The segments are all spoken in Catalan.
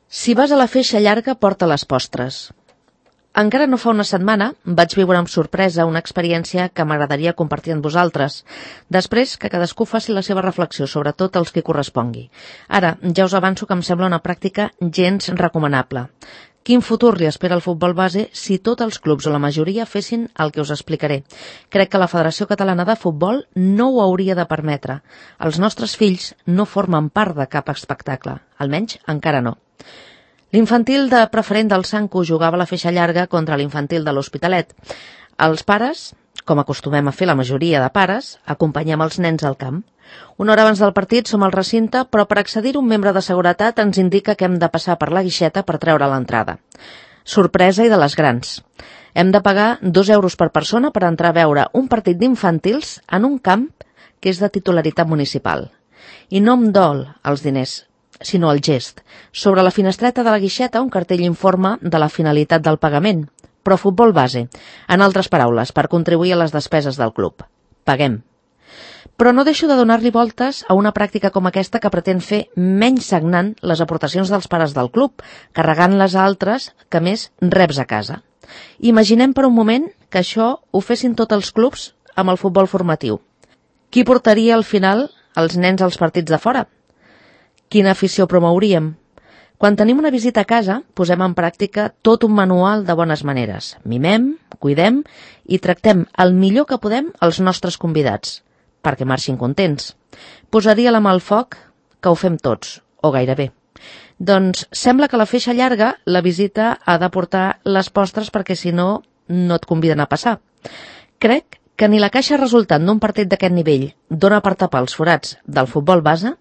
Si vas a la feixa llarga, porta les postres. Encara no fa una setmana vaig viure amb sorpresa una experiència que m'agradaria compartir amb vosaltres, després que cadascú faci la seva reflexió, sobretot els que correspongui. Ara, ja us avanço que em sembla una pràctica gens recomanable. Quin futur li espera al futbol base si tots els clubs o la majoria fessin el que us explicaré? Crec que la Federació Catalana de Futbol no ho hauria de permetre. Els nostres fills no formen part de cap espectacle, almenys encara no. L'infantil de preferent del Sanco jugava a la feixa llarga contra l'infantil de l'Hospitalet. Els pares, com acostumem a fer la majoria de pares, acompanyem els nens al camp. Una hora abans del partit som al recinte, però per accedir-hi un membre de seguretat ens indica que hem de passar per la guixeta per treure l'entrada. Sorpresa i de les grans. Hem de pagar 2 euros per persona per entrar a veure un partit d'infantils en un camp que és de titularitat municipal. I no em dol els diners, sinó el gest. Sobre la finestreta de la guixeta un cartell informa de la finalitat del pagament, però futbol base, en altres paraules, per contribuir a les despeses del club. Paguem. Però no deixo de donar-li voltes a una pràctica com aquesta que pretén fer menys sagnant les aportacions dels pares del club, carregant-les a altres que més reps a casa. Imaginem per un moment que això ho fessin tots els clubs amb el futbol formatiu. Qui portaria al final els nens als partits de fora? Quina afició promouríem? Quan tenim una visita a casa, posem en pràctica tot un manual de bones maneres. Mimem, cuidem i tractem el millor que podem els nostres convidats, perquè marxin contents. Posaria la mà al foc que ho fem tots, o gairebé. Doncs sembla que a la feixa llarga la visita ha de portar les postres perquè si no, no et conviden a passar. Crec que ni la caixa resultant d'un partit d'aquest nivell dona per tapar els forats del futbol base,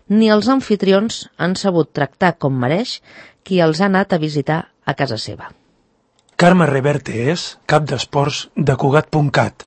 ni els anfitrions han sabut tractar com mereix qui els ha anat a visitar a casa seva. Carme Reverte és cap d'esports de Cugat.cat.